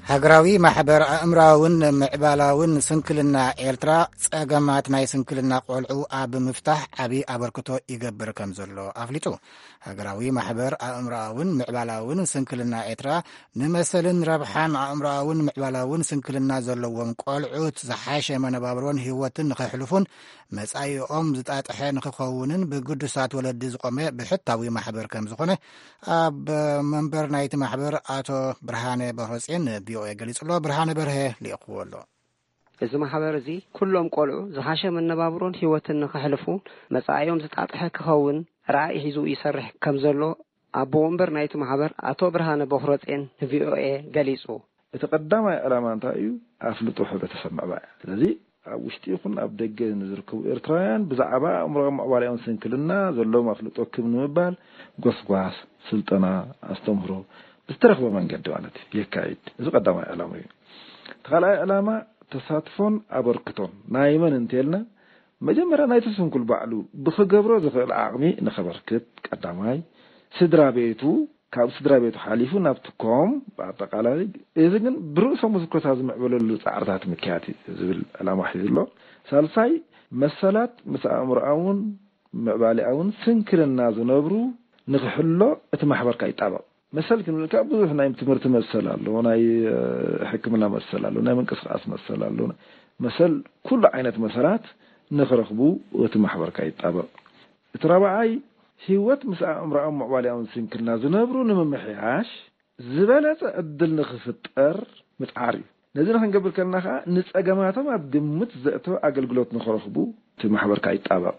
ሃገራዊ ማሕበር ኣእምራውን ምዕባላውን ስንክልና ኤርትራ ጸገማት ናይ ስንክልና ቆልዑ ኣብ ምፍታሕ ዓቢ ኣበርክቶ ይገብር ከም ዘሎ ኣፍሊጡ። ሃገራዊ ማሕበር ኣእምራውን ምዕባላውን ስንክልና ኤርትራ ንመሰልን ረብሓን ኣእምራውን ምዕባላውን ስንክልና ዘለዎም ቆልዑት ዝሓሸ መነባብሮን ህይወትን ንኸሕልፉን መጻኢኦም ዝጣጥሐ ንኽኸውንን ብግዱሳት ወለዲ ዝቖመ ብሕታዊ ማሕበር ከም ዝኾነ ኣብ መንበር ናይቲ ማሕበር ኣቶ ብርሃነ በሮጼን ቪኦኤ ገሊጹ ኣሎ። ብርሃነ በርሀ ልኢኽዎ ኣሎ። እዚ ማሕበር እዚ ኩሎም ቆልዑ ዝሓሸ መነባብሮን ህይወትን ንኸሕልፉ መጻኢኦም ዝጣጥሐ ክኸውን ራእይ ሒዙ ይሰርሕ ከም ዘሎ ኣቦ ወንበር ናይቲ ማሕበር ኣቶ ብርሃነ በኽረጼን ንቪኦኤ ገሊጹ። እቲ ቀዳማይ ዕላማ እንታይ እዩ? ኣፍልጦ ሕብረተሰብ ምዕባይ። ስለዚ ኣብ ውሽጢ ይኹን ኣብ ደገ ንዝርከቡ ኤርትራውያን ብዛዕባ ኣእምሮኣዊ ምዕባሌኦምን ስንክልና ዘለዎም ኣፍልጦ ክብ ንምባል ጎስጓስ፣ ስልጠና፣ ኣስተምህሮ ብዝተረኽበ መንገዲ ማለት እዩ የካይድ። እዚ ቀዳማይ ዕላማ እዩ። እቲ ካልኣይ ዕላማ ተሳትፎን ኣበርክቶን ናይ መን እንተልና፣ መጀመርያ ናይቲ ስንኩል ባዕሉ ብኽገብሮ ዝኽእል ዓቕሚ ንኸበርክት ቀዳማይ፣ ስድራ ቤቱ፣ ካብ ስድራ ቤቱ ሓሊፉ ናብቲ ኮም ብኣጠቓላይ፣ እዚ ግን ብርእሶም ዝኮታ ዝምዕበለሉ ጻዕርታት ምክያድ እዩ ዝብል ዕላማ ሒዙ ኣሎ። ሳልሳይ፣ መሰላት ምስ ኣእምሮኣውን ምዕባሌኣውን ስንክልና ዝነብሩ ንኽሕሎ እቲ ማሕበርካ ይጣበቕ። መሰል ክንብል ከኣ ብዙሕ ናይ ትምህርቲ መሰል ኣሎ፣ ናይ ሕክምና መሰል ኣሎ፣ ናይ ምንቅስቃስ መሰል ኣሎ። መሰል ኩሉ ዓይነት መሰላት ንኽረኽቡ እቲ ማሕበርካ ይጣበቕ። እቲ ራብዓይ፣ ህይወት ምስ ኣእምሮኣውን ምዕባሌኣውን ስንክልና ዝነብሩ ንምምሕያሽ ዝበለጸ ዕድል ንኽፍጠር ምጽዓር እዩ። ነዚ ንኽንገብር ከለና ከኣ ንጸገማቶም ኣብ ግምት ዘእተወ ኣገልግሎት ንኽረኽቡ እቲ ማሕበርካ ይጣበቕ።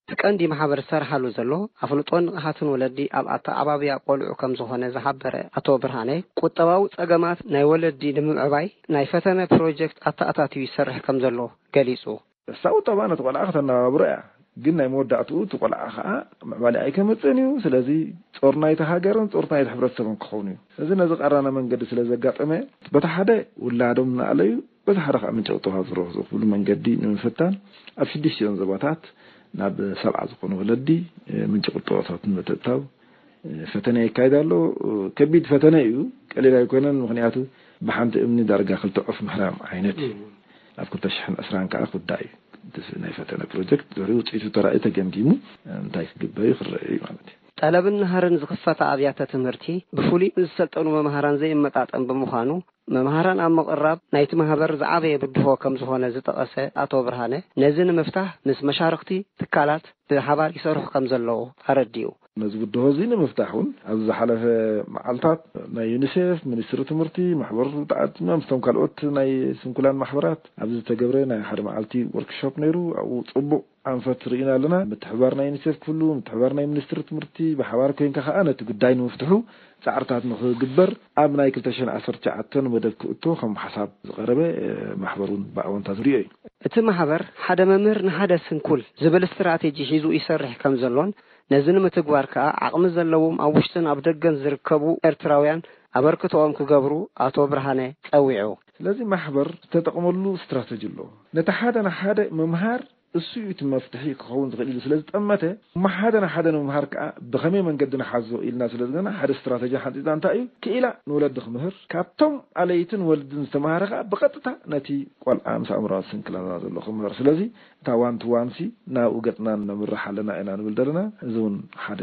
እቲ ቀንዲ ማሕበር ዝሰርሓሉ ዘሎ ኣፍልጦን ንቕሓትን ወለዲ ኣብ ኣተዓባብያ ቆልዑ ከም ዝኾነ ዝሓበረ ኣቶ ብርሃነ፣ ቁጠባዊ ጸገማት ናይ ወለዲ ንምዕባይ ናይ ፈተነ ፕሮጀክት ኣተኣታትዩ ይሰርሕ ከም ዘሎ ገሊጹ። እሳ ቁጠባ ነቲ ቆልዓ ከተነባብሮ እያ፣ ግን ናይ መወዳእትኡ እቲ ቆልዓ ከዓ ምዕባለ ኣይከመፅእን እዩ። ስለዚ ጾር ናይቲ ሃገርን ጾር ናይቲ ሕብረተሰብን ክኸውን እዩ። እዚ ነዚ ቀራና መንገዲ ስለ ዘጋጠመ፣ በቲ ሓደ ውላዶም እናኣለዩ በቲ ሓደ ከዓ ምንጪ ቁጠባ ዝረኽቡ መንገዲ ንምፍታን ኣብ ሽዱሽቲኦን ዞባታት ናብ ሰብዓ ዝኾኑ ወለዲ ምንጪ ቁጠባታት ንምትእታው ፈተነ የካይድ ኣሎ። ከቢድ ፈተነ እዩ፣ ቀሊል ኣይኮነን። ምኽንያቱ ብሓንቲ እምኒ ዳርጋ ክልተ ዑፍ ምህራም ዓይነት እዩ። ኣብ ክልተ ሽሕን ዕስራን ከዓ ክውዳእ እዩ። እቲ ናይ ፈተነ ፕሮጀክት ድሕሪ ውፅኢቱ ተራእዩ ተገምጊሙ እንታይ ክግበር እዩ ክረአ እዩ ማለት እዩ። ጠለብን ናህርን ዝኽፈታ ኣብያተ ትምህርቲ ብፍሉይ ምስ ዝሰልጠኑ መምሃራን ዘይመጣጠን ብምዃኑ፣ መምሃራን ኣብ ምቕራብ ናይቲ ማህበር ዝዓበየ ብድሆ ከም ዝኾነ ዝጠቐሰ ኣቶ ብርሃነ፣ ነዚ ንምፍታህ ምስ መሻርኽቲ ትካላት ብሓባር ይሰርሑ ከም ዘለዉ ኣረዲኡ። ነዚ ብድሆ እዚ ንምፍታሕ እውን ኣብዚ ዝሓለፈ መዓልታት ናይ ዩኒሴፍ፣ ሚኒስትሪ ትምህርቲ፣ ማሕበር ተዓዲምና ምስቶም ካልኦት ናይ ስንኩላን ማሕበራት ኣብዚ ዝተገብረ ናይ ሓደ መዓልቲ ወርክሾፕ ነይሩ። ኣብኡ ጽቡቕ ኣንፈት ርኢና ኣለና። ምትሕብባር ናይ ዩኒሴፍ ክህሉ፣ ምትሕብባር ናይ ሚኒስትሪ ትምህርቲ፣ ብሓባር ኮይንካ ከኣ ነቲ ጉዳይ ንምፍትሑ ጻዕርታት ንኽግበር ኣብ ናይ ክልተ ሽሕን ዓሰርተ ትሽዓተን መደብ ክእቶ ከም ሓሳብ ዝቐረበ፣ እ፣ ማሕበር እውን ብኣወንታ ዝሪኦ እዩ። እቲ ማሕበር ሓደ መምህር ንሓደ ስንኩል ዝብል ስትራቴጂ ሒዙ ይሰርሕ ከም ዘሎን ነዚ ንምትግባር ከኣ ዓቕሚ ዘለዎም ኣብ ውሽጥን ኣብ ደገን ዝርከቡ ኤርትራውያን ኣበርክቶኦም ክገብሩ ኣቶ ብርሃነ ጸዊዑ። ስለዚ ማሕበር ዝተጠቕመሉ ስትራተጂ ኣሎ። ነቲ ሓደ ንሓደ ምምሃር እሱ እዩ እቲ መፍትሒ ክኸውን ዝኽእል ኢሉ ስለ ዝጠመተ፣ እሞ ሓደ ንሓደ ንምምሃር ከኣ ብኸመይ መንገዲ ንሓዞ ኢልና ስለ ዝገና ሓደ ስትራተጂ ሓንጺጽና እንታይ እዩ ክኢላ ንወለዲ ክምህር፣ ካብቶም ኣለይትን ወልድን ዝተምሃረ ከኣ ብቐጥታ ነቲ ቆልዓ ምስ ኣእምሮኣዊ ስንክልና ዘሎ ክምህር። ስለዚ እታ ዋን ቱ ዋን ሲ ናብኡ ገጽና ነምርሕ ኣለና ኢና ንብል ዘለና። እዚ እውን ሓደ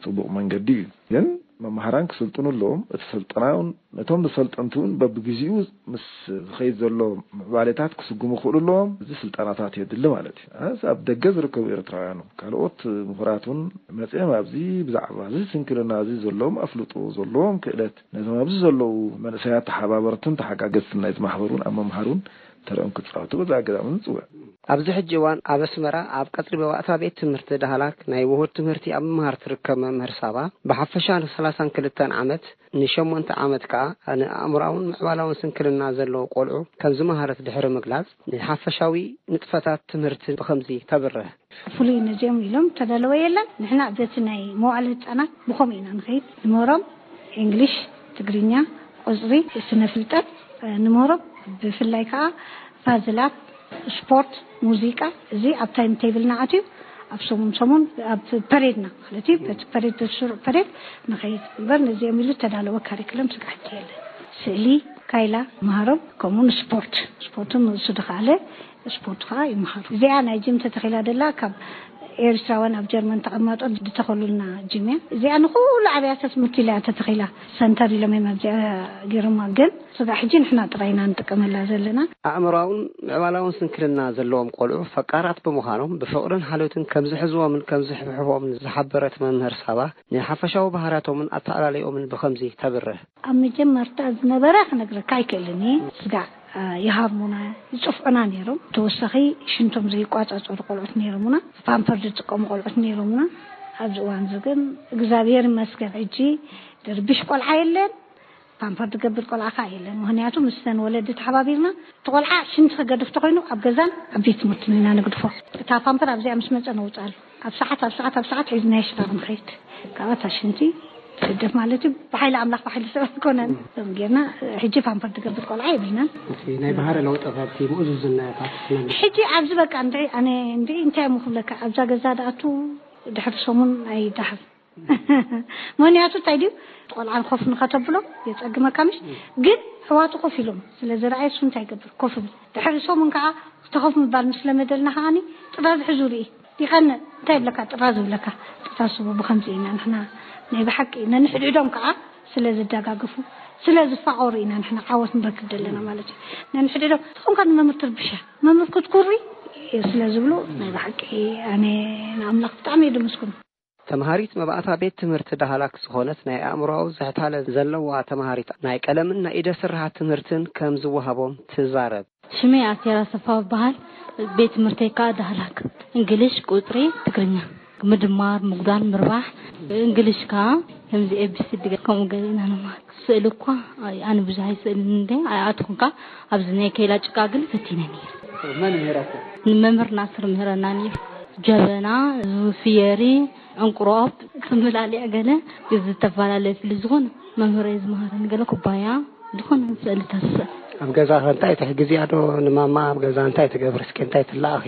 ጽቡቕ መንገዲ እዩ። ግን መምሃራን ክስልጥኑ ኣለዎም። እቲ ስልጠና እውን ነቶም ሰልጠንቲ እውን በብግዜኡ ምስ ዝኸይድ ዘሎ ምዕባሌታት ክስጉሙ ክኽእሉ ኣለዎም። እዚ ስልጠናታት የድሊ ማለት እዩ። ኣስ ኣብ ደገ ዝርከቡ ኤርትራውያን ካልኦት ምሁራት እውን መጺኦም ኣብዚ ብዛዕባ እዚ ስንክልና እዚ ዘለዎም ኣፍልጦ ዘለዎም ክእለት ነቶም ኣብዚ ዘለዉ መንእሰያት ተሓባበርትን ተሓጋገዝትን ናይቲ ማሕበር እውን ኣብ ምምሃር እውን ተረኦም ክጻወቱ በዚ ኣጋጣሚ ንጽውዕ። ኣብዚ ሕጂ እዋን ኣብ ኣስመራ ኣብ ቀጽሪ ባይታ ቤት ትምህርቲ ዳህላክ ናይ ውሁድ ትምህርቲ ኣብ ምምሃር ትርከብ መምህር ሳባ፣ ብሓፈሻ ንሰላሳን ክልተን ዓመት፣ ንሸሞንተ ዓመት ከኣ ንኣእምሮኣውን ምዕባላውን ስንክልና ዘለዎ ቆልዑ ከም ዝመሃረት ድሕሪ ምግላጽ፣ ንሓፈሻዊ ንጥፈታት ትምህርቲ ብኸምዚ ተብርህ። ፍሉይ ነዚኦም ኢሎም ተዳለወ የለን። ንሕና በቲ ናይ መዋዕለ ህጻናት ብኸምኡ ኢና ንኸይድ። ንምህሮም እንግሊሽ፣ ትግርኛ፣ ቁጽሪ፣ ስነ ፍልጠት፣ እ፣ ንምህሮም ብፍላይ ከኣ ፓዝላት፣ ስፖርት፣ ሙዚቃ፣ እዚ ኣብ ታይም ቴብልና ኣትዩ ኣብ ሰሙን ሰሙን ኣብ ፐሬድና ማለት እዩ። በቲ ፐሬድ፣ በቲ ስሩዕ ፐሬድ ንኸይድ እምበር ነዚኦም ኢሉ ተዳለወ ካሪክለም ስጋሕቲ የለን። ስእሊ፣ ካይላ መሃሮም፣ ከምኡ ንስፖርት፣ ስፖርትን ንሱ ድኸኣለ ስፖርት ከዓ ይመሃሩ። እዚኣ ናይ ጅም ተተኺላ ደላ ካብ ኤርትራውያን ኣብ ጀርመን ተቐማጦ ዝተኸሉልና ጅም እያ። እዚኣ ንኩሉ ኣብያተ ትምህርቲ ኢላ እያ ተተኺላ። ሰንተር ኢሎም እዮም ኣብዚኣ ገይሮማ። ግን ስጋዕ ሕጂ ንሕና ጥራይ ኢና ንጥቀመላ ዘለና። ኣእምሮኣውን ምዕባላውን ስንክልና ዘለዎም ቆልዑ ፈቃራት ብምዃኖም ብፍቕርን ሓልዮትን ከም ዝሕዝዎምን ከም ዝሕብሕቦምን ዝሓበረት መምህር ሳባ፣ ንሓፈሻዊ ባህርያቶምን ኣተኣላልይኦምን ብኸምዚ ተብርህ። ኣብ መጀመርታ ዝነበረ ክነግረካ ኣይክእልን እየ። ስጋዕ፣ እ፣ ይሃርሙና፣ ይጽፍዑና ነይሮም። ተወሳኺ ሽንቶም ዘይቋጻጸሩ ቆልዑት ነይሮምና። ፓምፐር ዝጥቀሙ ቆልዑት ነይሮምና። ኣብዚ እዋን እዚ ግን እግዚኣብሔር ይመስገን ሕጂ ድርብሽ ቆልዓ የለን፣ ፓምፐር ዝገብር ቆልዓ ከኣ የለን። ምኽንያቱ ምስተን ወለዲ ተሓባቢርና እቲ ቆልዓ ሽንቲ ክገድፍ ተኾይኑ ኣብ ገዛን ኣብ ቤት ትምህርትን ኢና ንግድፎ። እታ ፓምፐር ኣብዚኣ ምስ መጸ ነውጽኣሉ። ኣብ ሰዓት፣ ኣብ ሰዓት፣ ኣብ ሰዓት ሒዝናዮ ሽራብ ንኸይድ። ካብኣ እታ ሽንቲ ስደት ማለት እዩ ብሓይሊ ኣምላኽ ብሓይሊ ሰብ ኣይኮነን። ከም ጌርና ሕጂ ፓምፐር ትገብር ቆልዓ የብልናን። እቲ ናይ ባህሪ ለውጢ ካብቲ ምእዙዝነታት ትነግር። ሕጂ ኣብዚ በቃ እንድዒ ኣነ እንድዒ እንታይ እሞ ክብለካ ኣብዛ ገዛ ደኣቱ ድሕሪ ሰሙን ኣይዳሕር። ምክንያቱ እንታይ ድዩ ቆልዓ ኮፍ ንኸተብሎ የጸግመካ ምሽ ግን ሕዋቱ ኮፍ ኢሎም ስለ ዝረኣየ እሱ እንታይ ይገብር ኮፍ ይብል። ድሕሪ ሰሙን ከዓ ተኸፍ ምባል ምስ ለመደልና ከዓኒ ጥራዝ ሕዙ ርኢ ይቐንእ እንታይ ይብለካ ጥራዝ ይብለካ። ጥታስቡ ብኸምዚ ኢና ንሕና ናይ ብሓቂ ነንሕድሕዶም ከዓ ስለ ዝደጋግፉ ስለ ዝፋቐሩ ኢና ንሕና ዓወት ንረክብ ዘለና ማለት እዩ። ነንሕድሕዶም ዝኾንካ ንመምህር ትርብሻ መምህር ክትኩሪ ስለ ዝብሉ ናይ ብሓቂ ኣነ ንኣምላኽ ብጣዕሚ እየ ድምስኩን። ተምሃሪት መባእታ ቤት ትምህርቲ ዳህላክ ዝኾነት ናይ ኣእምሮኣዊ ዝሕታለ ዘለዋ ተምሃሪት ናይ ቀለምን ናይ ኢደ ስርሓት ትምህርትን ከም ዝወሃቦም ትዛረብ። ሽመይ ኣስቴር ኣሰፋ እበሃል። ቤት ትምህርተይ ከኣ ዳህላክ። እንግሊሽ፣ ቁጽሪ፣ ትግርኛ። ምድማር፣ ምጉዳል፣ ምርባሕ። እንግሊሽ ከኣ ከምዚ ኤ ቢ ሲ ዲ ከምኡ ገለ ኢና ንመሃር። ስእሊ እኳ ኣይ-፣ ኣነ ብዙሕ ኣይስእልን እንደ ኣይኣትኹን ከኣ ኣብዚ ናይ ከይላ ጭቃ ግን ፈቲነ ነይረ። መን ምሂረኩም? ንመምህር ናስር ምህረና ነይሩ። ጀበና፣ ፍየሪ፣ ዕንቁሮኦብ፣ ስምላልያ ገለ ዝተፈላለዩ ፍሊ ዝኾነ መምህረይ ዝመሃረኒ ገለ ኩባያ ዝኾነ ስእልታት ስእል። ኣብ ገዛ ከ እንታይ ትሕግዝያ ዶ ንማማ? ኣብ ገዛ እንታይ ትገብሪ እስኪ እንታይ ትለኣኺ?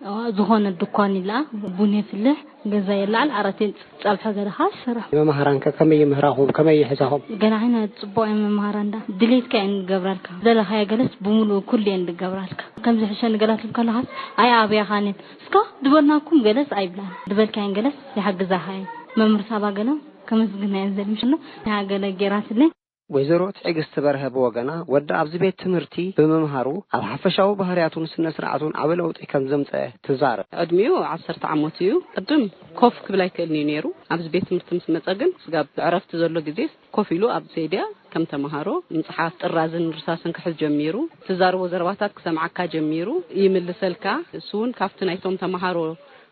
ኣዋ፣ ዝኾነ ድኳን ይለኣ፣ ቡን የፍልሕ፣ ገዛ የለዓል፣ ዓራት የንጽፍ፣ ጸብሐ ገለ ኸዓ ይስራሕ። መማህራን ከ ከመይ ይምህራኹም? ከመይ ይሕዛኹም? ገና ዓይነ ጽቡቕ እየን መማህራን ዳ ድሌትካ እየን ዝገብራልካ። ዝደለኻዮ ገለስ ብምሉኡ ኩሉ እየን ዝገብራልካ። ከምዚ ሕሸኒ ገላት ከለኻስ ኣይ ኣብያኻን እየን። እስካ ዝበልናኩም ገለስ ኣይብላን። ዝበልካየን ገለስ ይሓግዛኻ እየን። መምህር ሳባ ገለ ከመስግና እየን ዘልምሽሎ። ንዓ ገለ ጌራትለይ። ወይዘሮ ትዕግስቲ በርሀ ብወገና ወዳ ኣብዚ ቤት ትምህርቲ ብምምሃሩ ኣብ ሓፈሻዊ ባህርያቱን ስነ ስርዓቱን ዓቢ ለውጢ ከም ዘምጸአ ትዛረብ። ዕድሚኡ ዓሰርተ ዓመት እዩ። ቅድም ኮፍ ክብል ኣይክእልን እዩ ነይሩ። ኣብዚ ቤት ትምህርቲ ምስ መጸ ግን ስጋብ ዕረፍቲ ዘሎ ግዜ ኮፍ ኢሉ ኣብ ሴድያ ከም ተመሃሮ ምጽሓፍ ጥራዝን ርሳስን ክሕዝ ጀሚሩ። ትዛረቦ ዘረባታት ክሰምዓካ ጀሚሩ። ይምልሰልካ። እሱ እውን ካብቲ ናይቶም ተመሃሮ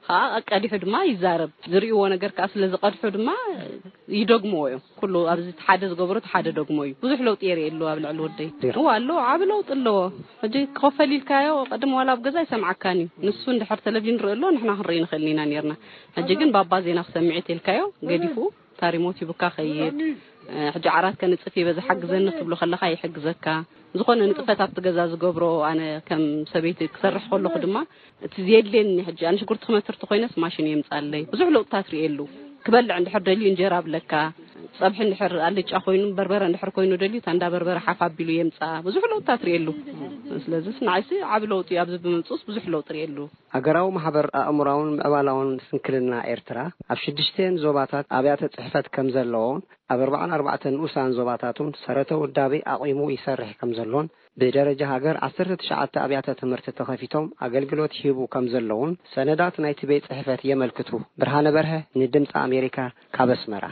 ከኣ ቀዲሑ ድማ ይዛረብ። ዝርእይዎ ነገር ከኣ ስለ ዝቐድሑ ድማ ይደግምዎ እዮም። ኩሉ ኣብዚ እቲ ሓደ ዝገበሮ እቲ ሓደ ደግሞ እዩ። ብዙሕ ለውጢ የርእየሉ ኣብ ልዕሊ ወደይ። እዋ ኣሎ፣ ዓቢ ለውጢ ኣለዎ። ሕጂ ክኸፈል ኢልካዮ ቅድም ዋላ ኣብ ገዛ ኣይሰምዓካን እዩ። ንሱ እንድሕር ቴሌቪዥን ርኢ ኣሎ ንሕና ክንርኢ ንኽእል ኢና ነርና። ሕጂ ግን ባባ ዜና ክሰምዕ እየ ተልካዮ ገዲፉ ታሪሞት ይብካ ኸይድ። ሕጂ ዓራት ከንጽፍ እየ በዚ ሓግዘኒ ክትብሎ ከለኻ ይሕግዘካ። ዝኾነ ንጥፈት ኣብቲ ገዛ ዝገብሮ ኣነ ከም ሰበይቲ ክሰርሕ ከለኹ ድማ እቲ ዘየድልየኒ ሕጂ ኣነ ሽጉርቲ ክመትር ተኾይነስ ማሽን የምጻለይ። ብዙሕ ለውጥታት ርእየሉ። ክበልዕ እንድሕር ደልዩ እንጀራ ኣብለካ። ጸብሒ እንድሕር ኣልጫ ኮይኑ በርበረ እንድሕር ኮይኑ ደልዩ ታንዳ በርበረ ሓፍ ኣቢሉ የምጻ። ብዙሕ ለውጥታት ርእየሉ። ስለዚስ ንዓይሲ ዓቢ ለውጢ ኣብዚ ብምምጽኡስ ብዙሕ ለውጢ ርእየሉ። ሃገራዊ ማሕበር ኣእምሮኣውን ምዕባላውን ስንክልና ኤርትራ ኣብ ሽዱሽተን ዞባታት ኣብያተ ጽሕፈት ከም ዘለዎን ኣብ ኣርባዓን ኣርባዕተን ንኡሳን ዞባታቱን ሰረተ ውዳቤ ኣቒሙ ይሰርሕ ከም ዘሎን ብደረጃ ሃገር ዓሰርተ ትሽዓተ ኣብያተ ትምህርቲ ተኸፊቶም ኣገልግሎት ይህቡ ከም ዘለውን ሰነዳት ናይቲ ቤት ጽሕፈት የመልክቱ። ብርሃነ በርሀ ንድምፂ ኣሜሪካ ካብ ኣስመራ።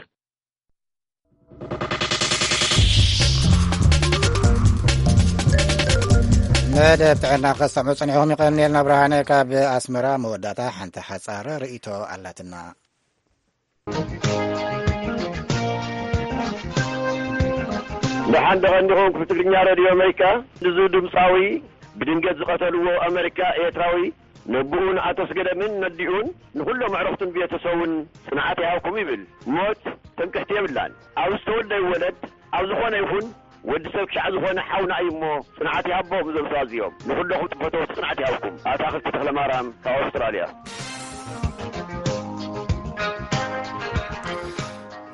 መደብ ጥዕና ክሰምዑ ጸኒሕኩም ይቐንየልና። ብርሃነ ካብ ኣስመራ መወዳእታ ሓንቲ ሓጻር ርእይቶ ኣላትና። ደሓን ደቐንዲኹም ክፍሊ ትግርኛ ሬድዮ ኣሜሪካ። እዚ ድምፃዊ ብድንገት ዝቐተልዎ ኣሜሪካ ኤርትራዊ ነብኡ ንኣቶ ኣስገደምን ነዲኡን ንኹሎም ኣዕሩኽቱን ቤተሰቡን ጽንዓት ይሃብኩም ይብል። ሞት ትምክሕቲ የብላን። ኣብ ዝተወልደ ይወለድ ኣብ ዝኾነ ይኹን ወዲ ሰብ ክሻዕ ዝኾነ ሓውና እዩ እሞ ጽንዓት ይሃቦም እዞም ሰባት እዚኦም። ንኹለኹም ፈተውቲ ጽንዓት ይሃብኩም። ኣታኽልቲ ተኽለማርያም ካብ ኣውስትራልያ።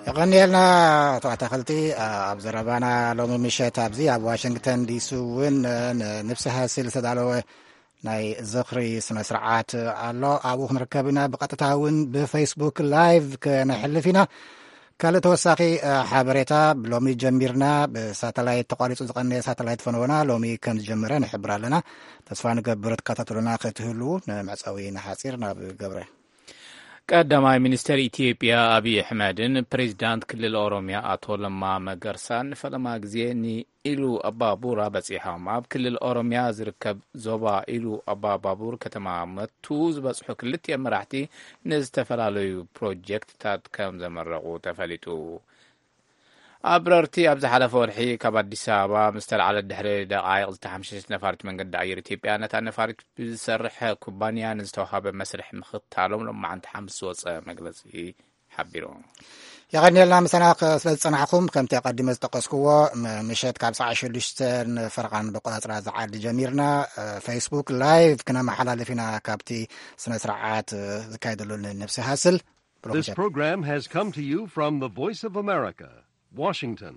የቐንየልና ኣቶ ኣታኽልቲ። ኣብ ዘረባና ሎሚ ምሸት ኣብዚ ኣብ ዋሽንግተን ዲሲ እውን ንንብሲ ሃሲል ዝተዳለወ ናይ ዝኽሪ ስነ ስርዓት ኣሎ። ኣብኡ ክንርከብ ኢና። ብቐጥታ እውን ብፌስቡክ ላይቭ ከነሕልፍ ኢና። ካልእ ተወሳኺ ሓበሬታ፣ ሎሚ ጀሚርና ብሳተላይት ተቋሪጹ ዝቐነየ ሳተላይት ፈነወና ሎሚ ከም ዝጀመረ ንሕብር ኣለና። ተስፋ ንገብር ትከታተሉና ክትህልዉ። ንመዕጸዊ ንሓጺር ናብ ገብረ። ቀዳማይ ሚኒስተር ኢትዮጵያ ኣብይ ኣሕመድን ፕሬዚዳንት ክልል ኦሮሚያ ኣቶ ለማ መገርሳን ንፈለማ ግዜ ንኢሉ ኣባቡራ በጺሖም። ኣብ ክልል ኦሮሚያ ዝርከብ ዞባ ኢሉ ኣባባቡር ከተማ መቱ ዝበጽሑ ክልቲኦም መራሕቲ ንዝተፈላለዩ ፕሮጀክትታት ከም ዘመረቑ ተፈሊጡ። ኣብረርቲ ኣብ ዝሓለፈ ወርሒ ካብ ኣዲስ ኣበባ ምስ ተላዕለት ድሕሪ ደቓይቕ ዝተሓምሸሸት ነፋሪት መንገዲ ኣየር ኢትዮጵያ ነታ ነፋሪት ብዝሰርሕ ኩባንያ ንዝተዋሃበ መስርሕ ምኽታሎም ሎማዓንቲ ሓሙስ ዝወፀ መግለፂ ሓቢሩ። የቐንየልና ምሳና ከ-፣ ስለ ዝጸናሕኩም። ከምቲ ኣቐዲመ ዝጠቀስክዎ፣ ም-፣ ምሸት ካብ ሰዓት ሽዱሽተ ፈረቓን ብቆጻጽራ ዝዓዲ ጀሚርና፣ እ፣ ፌስቡክ ላይቭ ክነመሓላልፍ ኢና ካብቲ ስነ ስርዓት፣ እ፣ ዝካየደሉ ንነብሲ ሃስል። This program has come to you from the Voice of America, Washington.